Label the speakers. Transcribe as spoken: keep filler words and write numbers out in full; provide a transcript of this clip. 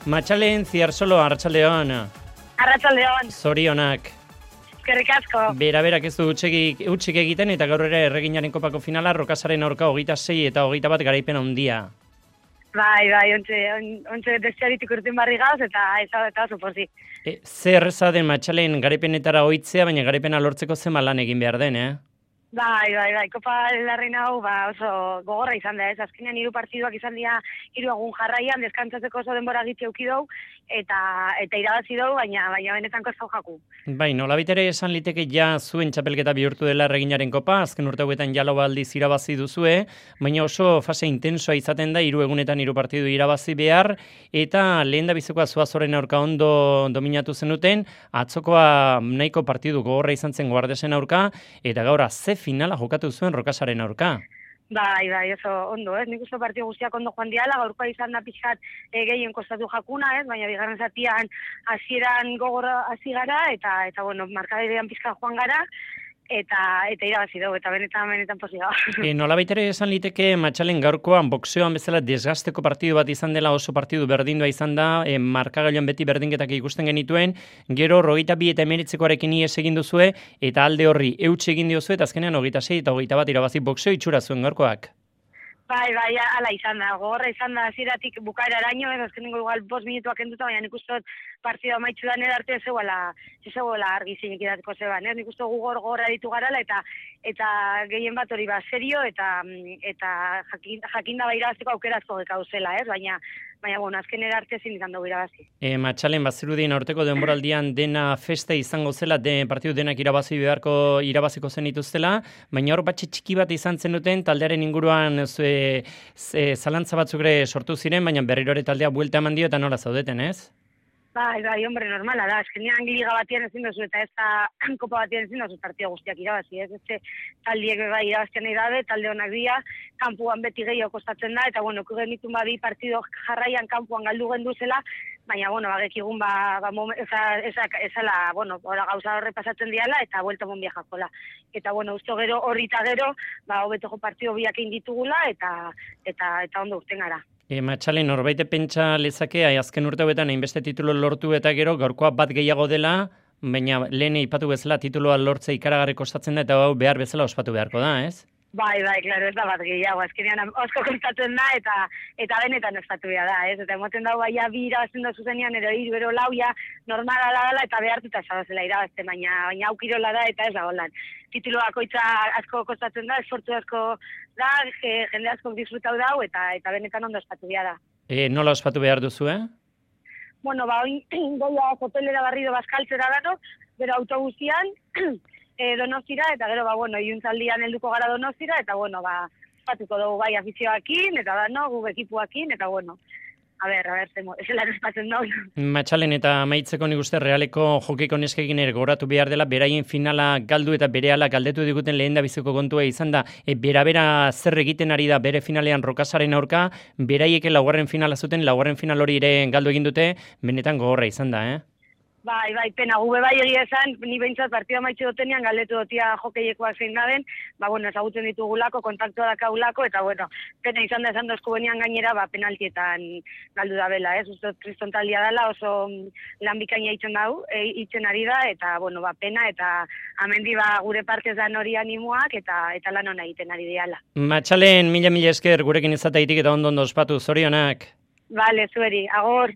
Speaker 1: Matxalen Ziarsolo, Arratsaldeon.
Speaker 2: Arratsaldeon.
Speaker 1: Zorionak.
Speaker 2: Eskerrik asko.
Speaker 1: Bera, berak ez du utxik, utxik egiten eta gaur ere erreginaren kopako finala Rokasaren aurka hogeita sei eta hogeita bat garaipen handia.
Speaker 2: Bai, bai, ontxe, ontxe desiaritik urten barri gauz eta ez eta oso pozi.
Speaker 1: E, zer erreza den Matxalen garaipenetara ohitzea, baina garaipena lortzeko zenba lan egin behar den, eh?
Speaker 2: Bai, bai, bai, Kopa Larrain hau ba, oso gogorra izan da, ez? Azkenean hiru partiduak izan dira hiru egun jarraian, deskantzatzeko oso denbora gitzi eduki dau, eta eta irabazi dau, baina baina benetan kostau jaku.
Speaker 1: Bai, nolabait ere esan liteke ja zuen txapelketa bihurtu dela erreginaren kopa, azken urte hauetan ja lau aldiz irabazi duzue, baina oso fase intensoa izaten da, hiru egunetan hiru partidu irabazi behar, eta lehen da bizekoa Zuazoren aurka ondo dominatu zenuten, atzokoa nahiko partidu gogorra izan zen Guardesen aurka, eta gaur ze finala jokatu zuen Rokasaren aurka.
Speaker 2: Bai, bai, oso ondo, ez? Nik uste partidu guztiak ondo joan diala, gaurkoa izan da pixkat e, gehien kostatu jakuna, ez? Baina bigarren zatian hasieran gogorra hasi gara, eta, eta bueno, markaderean pixkat joan gara, eta eta irabazi dugu, eta benetan benetan pozik da.
Speaker 1: E, nolabait ere esan liteke Matxalen gaurkoan boxeoan bezala desgasteko partidu bat izan dela, oso partidu berdindua izan da, e, markagailuan beti berdinketak ikusten genituen, gero hogeita bi eta emeritzekoarekin ies egin duzue, eta alde horri eutxe egin diozue, eta azkenean hogeita sei eta hogeita bat irabazi boxeo itxura zuen gaurkoak.
Speaker 2: Bai, bai, ala izan da, gogorra izan da hasieratik bukaeraraino, ez azkenengo igual bost minutuak enduta, baina nik uste dut partida amaitzu da nire arte ez zegoela, ez zegoela argi zinik idatiko zeban, ez? Nik uste gugor gogorra ditu garala, eta eta gehien bat hori ba, serio, eta eta jakin, jakinda ba irabazteko aukerazko gekauzela, ez? Baina, baina, bueno, azken arte ezin izan dugu irabazi.
Speaker 1: E, Matxalen, bazirudien aurteko denboraldian dena festa izango zela, de, partidu denak irabazi beharko irabaziko zen dituztela, baina hor batxe txiki bat izan zenuten, taldearen inguruan zue, ze, zalantza batzuk ere sortu ziren, baina berriro ere taldea buelta eman dio eta nola zaudeten, ez?
Speaker 2: Bai, bai, hombre, normala da, eskenean liga batian ezin dozu, eta ez da kopa batian ezin dozu partida guztiak irabazi, ez? Ez taldiek bai irabazten nahi dabe, talde honak dira, kanpuan beti gehiago kostatzen da, eta bueno, kugenitun ba bi partido jarraian kanpuan galdu gendu zela, baina, bueno, bagekigun ba, ba eza, eza, ezala, bueno, ora gauza horre pasatzen diala, eta buelta monbia jakola. Eta, bueno, usto gero, horri eta gero, ba, hobetoko partido biak egin ditugula, eta, eta, eta ondo urten gara.
Speaker 1: E, Matxalen, norbaite pentsa lezake, azken urte hauetan hainbeste titulo lortu eta gero, gaurkoa bat gehiago dela, baina lehen ipatu bezala tituloa lortze ikaragarri kostatzen da, eta hau behar bezala ospatu beharko da, ez?
Speaker 2: Bai, bai, klaro, ez da bat gehiago, azkenean osko kostatzen da, eta eta benetan ospatu behar da, ez? Eta emoten dago baia bi irabazten da zuzenean, ero hiru, ero lauia, normala dela, eta behartuta zabazela irabazten, baina baina aukirola da, eta ez da holan. Titulo bakoitza asko kostatzen da, esfortzu asko da, jende asko disfrutau dau, eta eta benetan ondo ospatu behar da.
Speaker 1: E, nola ospatu behar duzu, eh?
Speaker 2: Bueno, ba, oin goia hotelera barrido bazkaltzera dago, bero autobusian, e, Donostira, eta gero, ba, bueno, iuntzaldian helduko gara Donostira, eta, bueno, ba, espatuko dugu bai afizioakin, eta da, no, guk ekipuakin, eta, bueno, a ber, a ber, zemo, ez lan espatzen dauz.
Speaker 1: Matxalen, eta amaitzeko nik uste Realeko jokeko neskekin ere goratu behar dela, beraien finala galdu eta berehala galdetu diguten lehen da biziko kontua izan da, e, bera-bera zer egiten ari da bere finalean Rokasaren aurka, beraieke laugarren finala zuten, laugarren final hori ere galdu egin dute, benetan gogorra izan da, eh?
Speaker 2: Bai, bai, pena, gube bai egia esan, ni behintzat partida maitxe dutenean, galdetu dutia jokeiekoak zein daben, ba, bueno, ezagutzen ditugulako, kontaktua dakaulako, eta, bueno, pena izan da esan dozku benian gainera, ba, penaltietan galdu da bela, ez? Uste kriston taldia dela, oso lan bikaina itzen dau, e, itzen ari da, eta, bueno, ba, pena, eta amendi, ba, gure partez da hori animoak, eta eta lan hona egiten ari diala.
Speaker 1: Matxalen, mila mila esker gurekin izataitik eta ondo ondo ospatu, zorionak.
Speaker 2: Vale, zueri, agor.